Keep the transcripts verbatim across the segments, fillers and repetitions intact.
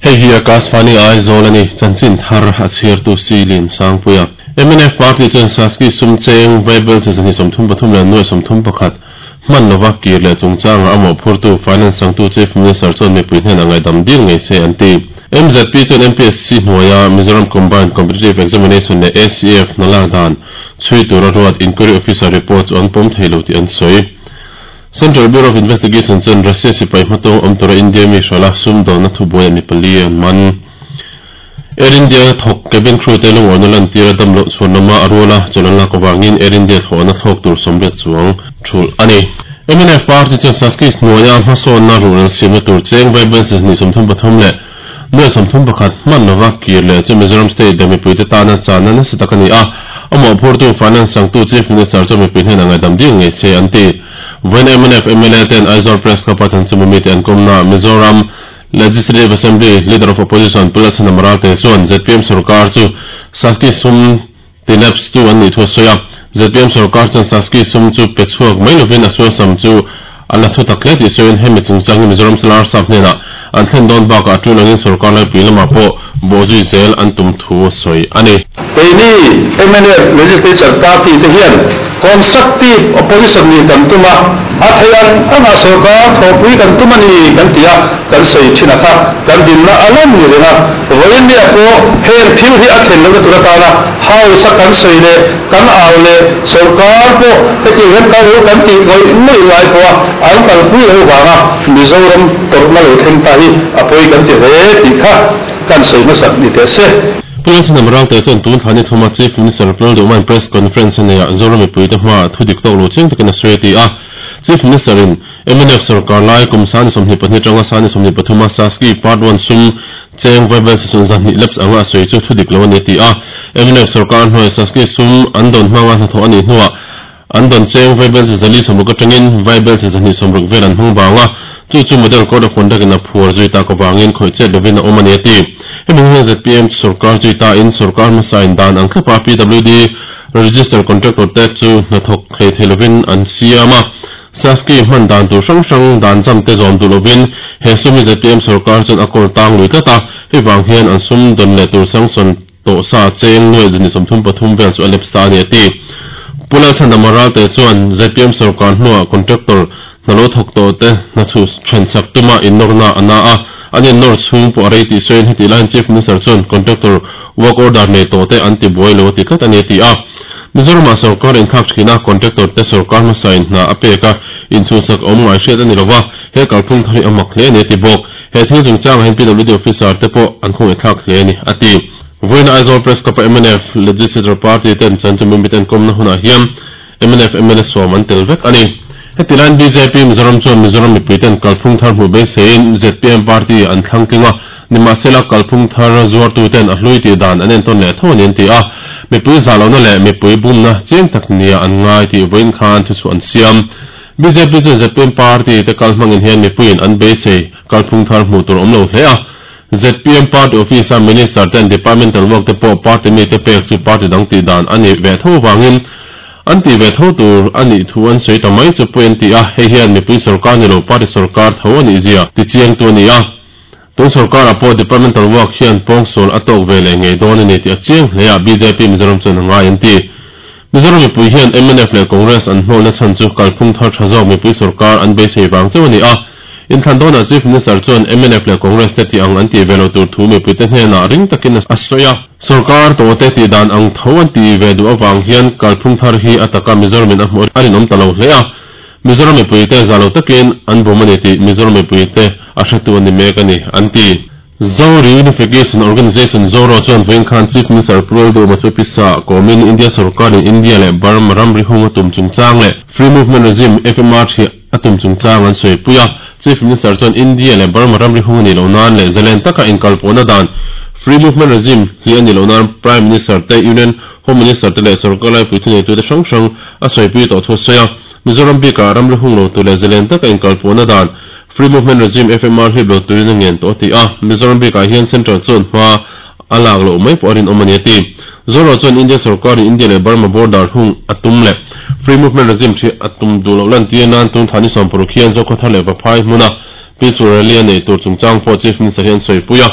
Hei hi Akashvani Aizawl ani chanchin thar a chhiartu Silin Sangpuia. M N F party chuan Saski sum cheng vaibel chi zahnih sawmthum pathum leh nuai sawmthum pakhat hman lova kir leh chungchanga a mawhphurtu Finance sangtu Chief Minister chuan mipui hnenah ngaihdam dil ngei se an ti. M Z P chuan M P S C hnuaia Mizoram Combined Competitive Examination leh A C F hna lak dan chhui tura ruat Inquiry Officer report chu an pawm thei lo tih an sawi. Central Bureau of Investigation chuan Russia sipai hmatawng awm tura India mi hrala sumdawnna thubuai a mi pali an man. Air India thawk cabin crew te lungawhna lantira dam loh chhuan lama a ruala chawlh an lak avangin Air India thlawhna thlawk tur sawmriat chuang thulh a ni. M N F party chuan Saski hnuaia hmasawnna ruhrel siamna tur cheng vaibel chi zahnih sawmthum pathum leh nuai sawmthum pakhat hman lova kir leh chu Mizoram state leh mipuite tana channa nasa tak a ni a, a mawhphurtu Finance sangtu Chief Minister chuan mipui hnenah ngaihdam dil ngei se an ti. Vawiin M N F M L A ten Aizawl Press Club a chanchinbu mite an kawmna Mizoram Legislative Assembly Leader of Opposition Pu Lalchhanham Ralte chuan Z P M sarkar chu Saski sum ti lapse tu an nih thu a sawi a. Z P M sarkar chuan Saski sum chu pe chhuak mai lovin a sualsam chu a la thu tak hle tih sawiin hemi chungchang hi Mizoram Salar Sap hnenah an thlen dawn bakah a tul angin sarkar laipui lamah pawh bawhzui zel an tum thu a sawi a ni. Keini M N F Legislature Party te hian Constructive Opposition nih kan tum a, a thei ang anga sarkar thawhpui kan tum a ni kan ti a, kan sawi thin a kha kan dinna a lan ni reng a. Vawiin nia pawh heng thil hi a thlen lohna tur atana House a kan sawi leh kan au leh sarkar pawh hetiang hian kal lo kan tih ngawih ngawih lai pawha an kalpui lo vanga Mizoram tawrhna lo thleng ta hi a pawi kan ti hle tih kha kan sawi hmasak ni teh se. Pu Lalchhanham Ralte chuan tun thla ni thuma Chief Minister Pu Lalduhman press conference a neihah Zoram mipuite hmaah thu dik tawk lo chiang takin a sawi a ti a. Chief Minister in M N F sarkar lai kum sani sawmhnih pahnih atanga sani sawmhnih pathuma Saski Part one sum cheng vaibel chi zahnih lapse anga a sawi chu thu dik lo a ni a ti a. M N F sarkar hnuai Saski sum an dawn hmanga hnathawh a nih hnuah an dawn cheng vaibel chi zali sawmruk atangin vaibel chi zahnih sawmruk vel an hmang bang a, chu chu Model Code of Conduct in a phuar zui tak avangin khawih chet lovin a awm a ni a ti. Hemi hian Z P M sarkar zui ta in sarkar hmasa in dan ang thlapa P W D register contractor te chu hnathawk thei thei lovin an siam a. Saski hman dan tur hrang hrang dan zam te zawm duh lovin he sumi Z P M sarkar chuan a kawl tang lui tlat a, hei vang hian an sum dawn leh tur sanction tawh sa cheng nuai zahnih sawmthum pathum vel chu a lapse ta a ni a ti. Pu Lalchhanham Ralte chuan Z P M sarkar hnuah contractor hna lo thawk tawh te hna chu then sak tuma inawrna a na a, an inawr chhung pawh a rei tih sawiin heti laiin Chief Minister chuan contractor work order nei tawh te an ti buai lo a ti tlat a ni a ti a. Mizoramah sarkar inthlak thina contractor te sarkar hmasa in hna a pek a, inchhunsak awm ngai hriat a ni lova, he kalphung thar hi a mak hle a ni a ti bawk. He thil chungchangah hian P W D officer te pawh an khawngaih thlak hle a ni a ti. Vawiin Aizawl Press Club a M N F Legislature Party ten chanchinbu miten kawmna hunah hian M N F M L A sawm an tel vek a ni. Heti laiin B J P Mizoram chuan Mizoram mipuiten kalphung thar hmuh beiseiin Z P M party an thlang tling a, nimahsela kalphung thar zuartuten a hlui tih dan an entawn leh tho a ni an ti a. Mipui zahlohna leh mipui bumna chiang tak nia an ngai tih vawiin khan thu chhuah an siam. B J P chuan Z P M party te kal hmangin hian mipuiin an beisei kalphung thar hmuh tur awm lo hle a. Z P M party office a minister ten departmental work te pawh party mi te pek chu party dang tih dan a ni ve tho wangin an ti ve tho tur a nih thu an sawi ta mai chu pawh an ti a, hei hian mipui sarkar ni lo party sarkar tho a nih zia ti chiang tu a ni a. Tun sarkar ah pawh departmental work hian pawngsawl a tawk ve leh ngei dawn a ni tih a chiang hle a, B J P Mizoram chuan a ngai an ti. Mizoram mipui hian M N F leh Congress an hnawlna chhan chu kalphung thar tha zawk mipui sarkar an beisei vang chauh a ni a. Inthlan dawnah Chief Minister chuan M N F leh Congress te tih ang an ti ve lo tur thu mipuite hnenah ring takin a sawi a. Sarkar tawh te tih dan ang tho an ti ve duh avang hian kalphung thar hi a taka Mizoramin a hmuh a rinawm ta lo hle a. Mizoram mipuite za lo takin an bum a ni tih Mizoram mipuite a hretu a ni mek a ni an ti. Zo Reunification Organisation Zoro chuan vawiin khan Chief Minister Pu Lalduhoma chu pisa kawmin India sarkarin India leh Burma ramri hung a tum chungchang leh Free Movement Regime F M R thi a tum chungchang an sawi pui a. Chief Minister chuan India leh Burma ramri hung a nih loh nan leh zalen taka inkalpawhna dan Free Movement Regime hi a nih loh nan Prime Minister te Union Home Minister te leh sarkar laipui thuneitu te hrang hrang a sawi pui tawh thu a sawi a. Mizoram bikah ramri hung lo tur leh zalen taka inkalpawhna dan Free Movement Regime F M R hlip lo turin a ngen tawh a ti a. Mizoram bikah hian Central chuan hma a lak loh mai pawh a rinawm a ni a ti. Zoro chuan India sarkarin India leh Burma border hung a tum leh Free Movement Regime thi a tum duh loh lan tir nan tun thla ni sawm paruk hian Zokhawthar leh Vaphai hmuna Peaceful Rally a nei tur chungchang pawh Chief Minister hian sawi pui a.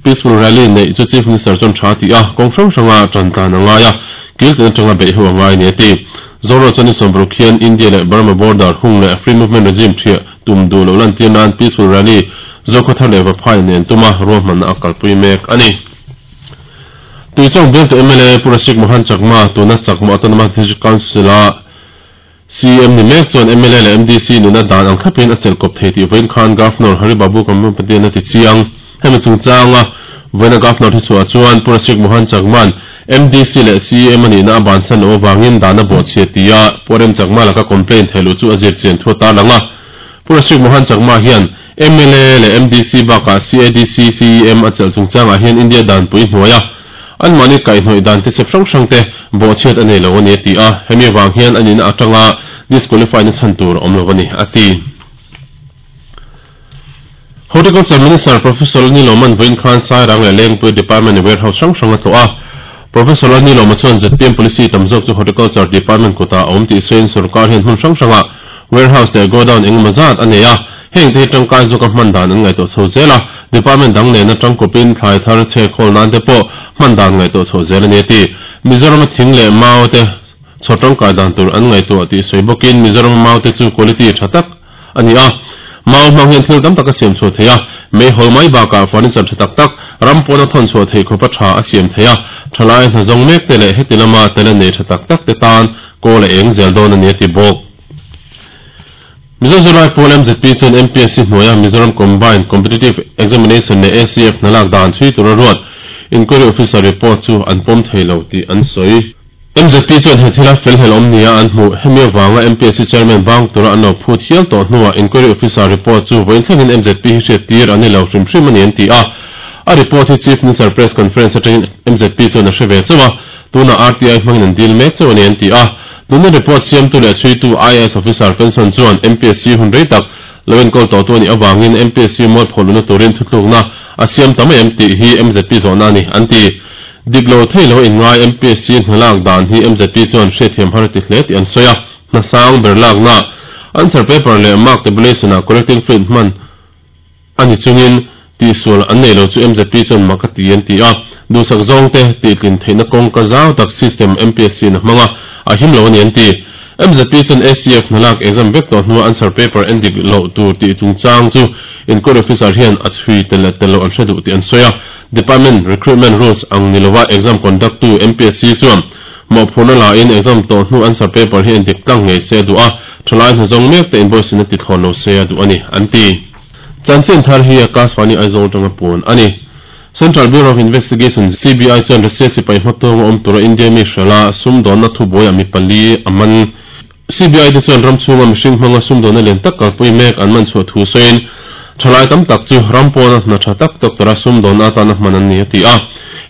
Peaceful rally nei chu Chief Minister chuan tha ti a kawng hrang hranga tan tlan a ngai a kil tin atanga beih ho a ngai ni a ti. Zoro chuan ni sawmparuk hian India leh Burma border hung leh free movement regime thiah tum duh loh lan tir nan peaceful rally Zokhawthar leh Vaphai nen tuma ruahmanna a kalpui mek a ni. Tuichawng bialtu M L A Pu Rasik Mohan Chakma tuna Chakma Autonomous District Council a C M ni mek chuan M L A leh M D C nuna dan ang thlapin a chelh kawp thei tih vawiin khan Governor Hari Babu Kambhampati-an a ti chiang. Hemi chungchanga vawiina Governor thi chhuah chuan Pu Rasik Mohan Chakma'n M D C leh C M a nihna a bansan loh avangin dan a bawhchhia tia Pu Rem Chakma laka complaint theih luh chu a zir chian thu a tarlang a. Pu Rasik Mohan Chakma hian M L A leh M D C bakah C A D C C E M a chelh chungchangah hian India danpui hnuai a anmahni kaihhnawih dan te sep hrang hrang te bawhchhiat a nei lo a ni a ti a, hemi avang hian a nihna atanga disqualify na chhan tur a awm lo a ni a ti. Horticulture Minister Professor Anil Oman vawiin khan Sairang leh Lengpui Department warehouse hrang hrang a tlawh a. Professor Anil Oma chuan Z P M policy tam zawk chu Horticulture Department kutah a awm tih sawiin sorkar hian hmun hrang hrangah warehouse leh godown engemaw zat a nei a, heng te hi tangkai zawka hman dan an ngaihtuah chho zel a, department dang nena tangkawpin thlai thar chhe khawl nan te pawh hman dan ngaihtuah chho zel a ni a ti. Mizoram-a thing leh mau te chhaw tangkai dan tur an ngaihtuah tih sawi bawkin Mizoram-a mau te chu quality tha tak a ni a, mau hmang hian thil tam tak a siam chhuah thei a, meihawl mai bakah furniture tha tak tak ram pawna thawn chhuah theih khawpa tha a siam thei a, thalai hna zawng mek te leh heti lama talent nei tha tak tak te tan kawl a eng zel dawn a ni a ti bawk. Mizo Zirlai Pawl M Z P chuan M P S C hnuaia Mizoram Combined Competitive Examination leh A C F hna lak dan chhui tura ruat Inquiry Officer report chu an pawm thei lo tih an sawi. M Z P chuan he thila fel hlel awm nia an hmuh. Hemi avanga M P S C Chairman bang tura an lo phut hial tawh hnuah Inquiry Officer report chu vawiin thlengin M Z P hi hriat tir an ni lo hrim hrim a ni an ti a. A report hi Chief Minister Press Conference atangin M Z P chuan a hre ve chauh a, tunah R T I hmangin an dil mek chauh a ni an ti a. Tuna report siamtu leh chhuitu I A S Officer pension chuan M P S C hun rei tak lo enkawl tawhtu a nih avangin M P S C mualphawluna turin thutlukna a siam ta mai em tih hi M Z P zawhna a ni an ti. Dik lo thei lo inngai M P S C hna lak dan hi M Z P chuan hriatthiam har a ti hle tih an sawi a, hna sang ber lakna answer paper leh mark tabulation-ah correcting fluid hman a ni chungin tihsual an nei lo chu M Z P chuan mak a ti an ti a, duhsak zawng te tihtlin theihna kawngka zau tak system M P S C-in a hmang a, a him lo a ni an ti. M Z P chuan A C F hna lak exam vek tawh hnua answer paper en dik loh tur tih chungchang chu inquiry officer hian a chhui tel leh tel loh an hre duh tih an sawi a, Department recruitment rules ang ni lova exam conduct tu M P S C chuan mawhphurhna lain exam tawh hnu answer paper hi en dik tlang ngei se a duh a, thalai hna zawng mek te invoice in a ti thlawn lo se a duh a ni an ti. Chanchin thar hi Akashvani Aizawl atanga puan a ni. Central Bureau of Investigation, C B I, chuan Russia sipai hmatawng a awm tura India mi hrela sumdawnna thubuaiah mi pali a man. C B I te chuan ram chhunga mihring hmanga sumdawnna lian tak kalpui mek an man chhuah thu sawiin thalai tam tak chu ram pawna hna tha tak doctor-a sumdawnna atana hman an ni a ti a.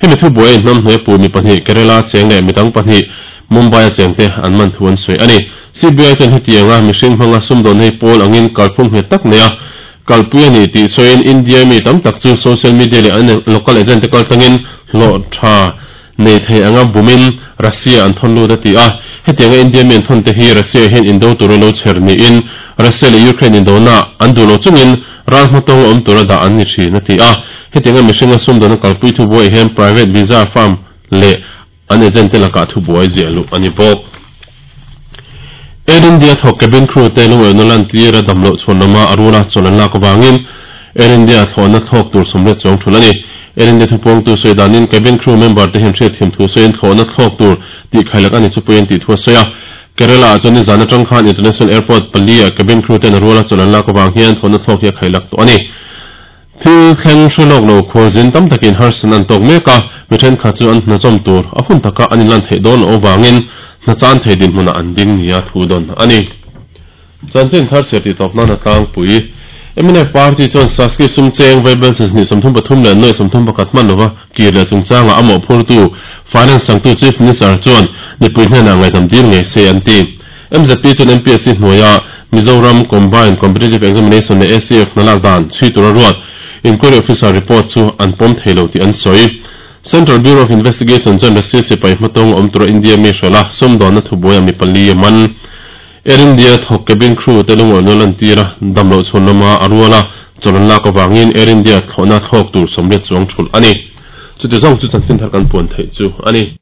Hemi thubuaiin hnam hnuai pu mi pahnih Kerala cheng leh midang pahnih Mumbai-a chengte an man thu an sawi a ni. C B I chuan hetianga mihring hmanga sumdawnna hi pawl angin kalphung nghet tak nei a kalpui a ni tih sawiin India mi tam tak chu social media leh an local agent te kaltlangin hlawh tha nei thei anga bumin Russia an thawn lut a ti a. Hetianga India mi an thawn te hi Russia hian indo tura lo chher niin Russia leh Ukraine indona an duh lo chungin ral hmatawng awm tura dah an ni thin a ti a. Hetianga mihringa sumdawnna kalpui thubuai hian private visa firm leh an agent te lakah thubuai ziah luh a ni bawk. Air India thawk cabin crew te lungawihna lan tir a dam loh chhuan lama a rula chawl an lak avangin Air India thlawhna thlawk tur sawmriat chuang thul a ni. Air India thupuangtu sawi danin cabin crew member te hian hriatthiam thu sawiin thlawhna thlawk tur tih khailak a ni chu puiin tih thu a sawi a. Kerala ah chuan nizan atang khan International Airport pali ah cabin crew ten a rula chawl an lak avang hian thlawhna thlawk hi a khailak tawh a ni. Thil thleng hre lawk lo khualzin tam takin harsan an tawk mek a, mi thenkhat chu an hna zawm tur a hun taka an inlan theih dawn loh avangin hna chan thei dinhmunah an ding nia thu dawn a ni. Chanchin thar chhiar tih tawp nan a tlangpui. M N F party chuan Saski sum cheng vaibelses hnih sawmthum pathum leh nuaih sawmthum pakhat hman lova kir leh chungchangah a mawhphurtu Finance changtu Chief Minister chuan mipui hnenah ngaihdam dil ngei se an ti. M Z P chuan M P S C hnuaia Mizoram Combined Competitive Examination leh A C F hna lak dan chhui tura ruat Inquiry Officer report chu an pawm thei lo tih an sawi. Central Bureau of Investigation chuan Russia sipai hmatawng awm tura India mi hrela sumdawnna thubuaiah mi pali a man. Air India thawk cabin crew te lungawi lan tira damlo chhun lama aruala cholan lak awangin Air India thlawhna thlawk tur sawmriat chuang thul ani. Chuti zawng chu chanchin thar kan puan theih chu ani.